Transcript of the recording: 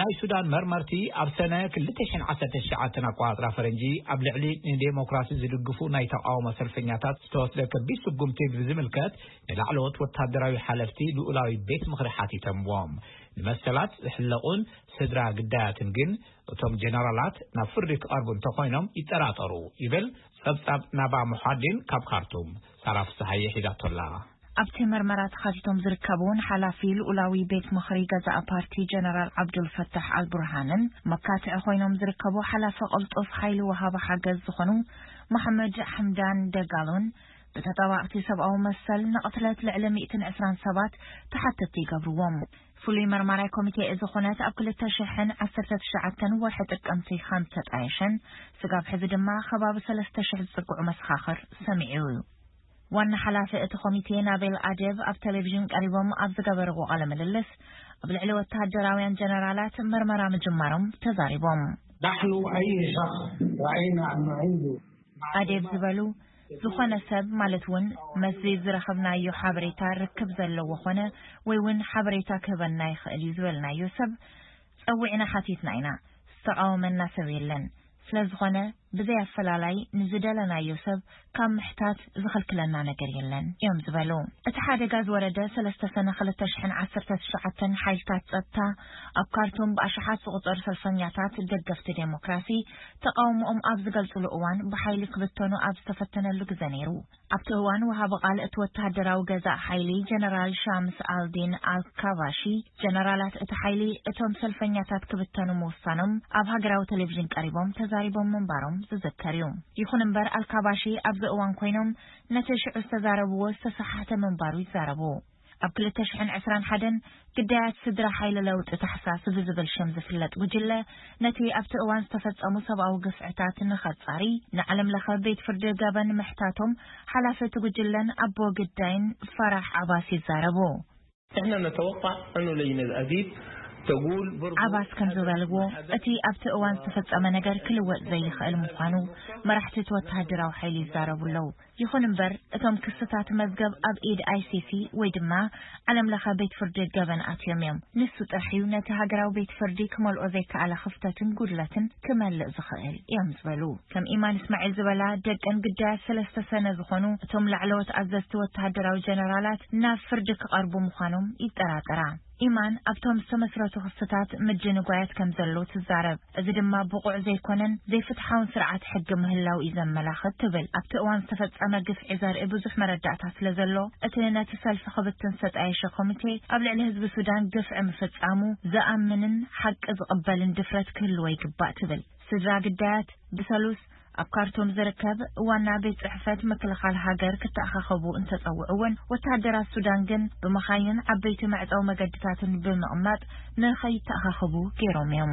ናይ ሱዳን መርመርቲ ኣብ ሰነ ክልተ ሽሕን ዓሰርተ ትሽዓተን ኣቋራጥራ ፈረንጂ ኣብ ልዕሊ ንዴሞክራሲ ዝድግፉ ናይ ተቃውሞ ሰልፈኛታት ዝተወስደ ከቢድ ስጉምቲ ብዝምልከት ንላዕለዎት ወታደራዊ ሓለፍቲ ልኡላዊ ቤት ምኽሪ ሓቲቶምዎም። ንመሰላት ዝሕለቑን ስድራ ግዳያትን ግን እቶም ጀነራላት ናብ ፍርዲ ክቐርቡ እንተኾይኖም ይጠራጠሩ ይብል ጸብጻብ ናባ ሙሓዲን ካብ ካርቱም። ሳራ ፍስሓየ ሒዛቶላ። ኣብቲ መርመራ ተኻቲቶም ዝርከቡ ንሓላፊ ልኡላዊ ቤት ምኽሪ ገዛእ ፓርቲ ጀነራል ዓብዱልፈታሕ ኣልቡርሃንን መካትዒ ኮይኖም ዝርከቡ ሓላፊ ቅልጡፍ ሓይሊ ወሃቢ ሓገዝ ዝኾኑ መሓመድ ሓምዳን ደጋሎን ብተጣባቕቲ ሰብኣዊ መሰል ንቕትለት ልዕሊ ሚእትን ዕስራን ሰባት ተሓተቲ ይገብርዎም። ፍሉይ መርማራይ ኮሚቴ እዚ ኩነት ኣብ ክልተ ሽሕን ዓሰርተ ትሽዓተን ወርሒ ጥቅምቲ ከም ተጣየሸን ስጋብ ሕዚ ድማ ከባቢ ሰለስተ ሽሕ ዝጽግዑ መሰኻኽር ሰሚዑ እዩ። ዋና ሓላፊ እቲ ኮሚቴ ናቤል ኣደብ ኣብ ቴሌቪዥን ቀሪቦም ኣብ ዝገበርዎ ቃለ ምልልስ ኣብ ልዕሊ ወተሃደራውያን ጀነራላት መርመራ ምጅማሮም ተዛሪቦም። نحن أي شخص رأينا أنه عنده ኣዴብ ዝበሉ ዝኾነ ሰብ ማለት እውን መስዚ ዝረኸብናዮ ሓበሬታ ርክብ ዘለዎ ኾነ ወይ እውን ሓበሬታ ክህበና ይኽእል እዩ ዝበልናዮ ሰብ ጸዊዕና ሓቲትና ኢና። ዝተቃወመና ሰብ የለን። ስለዝኾነ ብዘይ ኣፈላላይ ንዝደለናዮ ሰብ ካብ ምሕታት ዝኽልክለና ነገር የለን እዮም ዝበሉ። እቲ ሓደጋ ዝወረደ ሰለስተ ሰነ ክልተ ሽሕን ዓሰርተ ትሽዓተን ሓይልታት ጸጥታ ኣብ ካርቱም ብኣሽሓት ዝቑጸሩ ሰልፈኛታት ደገፍቲ ዴሞክራሲ ተቃውሞኦም ኣብ ዝገልጽሉ እዋን ብሓይሊ ክብተኑ ኣብ ዝተፈተነሉ ግዘ ነይሩ። ኣብቲ እዋን ወሃቢ ቃል እቲ ወተሃደራዊ ገዛእ ሓይሊ ጀነራል ሻምስ ኣልዲን ኣልካባሺ ጀነራላት እቲ ሓይሊ እቶም ሰልፈኛታት ክብተኑ ምውሳኖም ኣብ ሃገራዊ ቴሌቪዥን ቀሪቦም ተዛሪቦም ምንባሮም ዝዝከር እዩ። ይኹን እምበር ኣልካባሺ ኣብዚ እዋን ኮይኖም ነቲ ሽዑ ዝተዛረብዎ ዝተሰሓሕተ ምንባሩ ይዛረቡ። ኣብ ክልተ ሽሕን ዕስራን ሓደን ግዳያት ስድራ ሓይሊ ለውጢ ታሕሳስ ብዝብል ሽም ዝፍለጥ ጉጅለ ነቲ ኣብቲ እዋን ዝተፈጸሙ ሰብኣዊ ግፍዕታት ንኸጻሪ ንዓለም ለኸ ቤት ፍርዲ ገበን ምሕታቶም ሓላፊ እቲ ጉጅለን ኣቦ ግዳይን ፈራሕ ዓባስ ይዛረቡ። احنا نتوقع انه لجنة اديب تقول برضو ዓባስ ከም ዝበልዎ እቲ ኣብቲ እዋን ዝተፈጸመ ነገር ክልወጥ ዘይኽእል ምዃኑ መራሕቲ እቲ ወተሃደራዊ ሓይሊ ይዛረቡ ኣለዉ። ይኹን እምበር እቶም ክስታት መዝገብ ኣብ ኢድ ኣይሲሲ ወይ ድማ ዓለም ለኸ ቤት ፍርዲ ገበን ኣትዮም እዮም። ንሱ ጥራሕ እዩ ነቲ ሃገራዊ ቤት ፍርዲ ክመልኦ ዘይከኣለ ክፍተትን ጉድለትን ክመልእ ዝኽእል እዮም ዝበሉ። ከም ኢማን እስማዒል ዝበላ ደቀን ግዳያት ሰለስተ ሰነ ዝኾኑ እቶም ላዕለዎት ኣዘዝቲ ወተሃደራዊ ጀነራላት ናብ ፍርዲ ክቐርቡ ምዃኖም ይጠራጠራ። ኢማን ኣብቶም ዝተመስረቱ ክስታት ምድንጓያት ከም ዘለዉ ትዛረብ። እዚ ድማ ብቑዕ ዘይኮነን ዘይፍትሓውን ስርዓት ሕጊ ምህላው እዩ ዘመላኽት ትብል። ኣብቲ እዋን ዝተፈጸመ ግፍዒ ዘርኢ ብዙሕ መረዳእታ ስለ ዘሎ እቲ ነቲ ሰልፊ ክብትን ዝተጣየሸ ኮሚቴ ኣብ ልዕሊ ህዝቢ ሱዳን ግፍዒ ምፍጻሙ ዝኣምንን ሓቂ ዝቕበልን ድፍረት ክህልዎ ይግባእ ትብል። ስድራ ግዳያት ብሰሉስ ኣብ ካርቱም ዝርከብ ዋና ቤት ጽሕፈት ምክልኻል ሃገር ክተኣኻኸቡ እንተጸውዑ እውን ወተሃደራት ሱዳን ግን ብመኻይንን ዓበይቲ መዕጸዊ መገድታትን ብምቕማጥ ንኸይተኣኻኸቡ ገይሮም እዮም።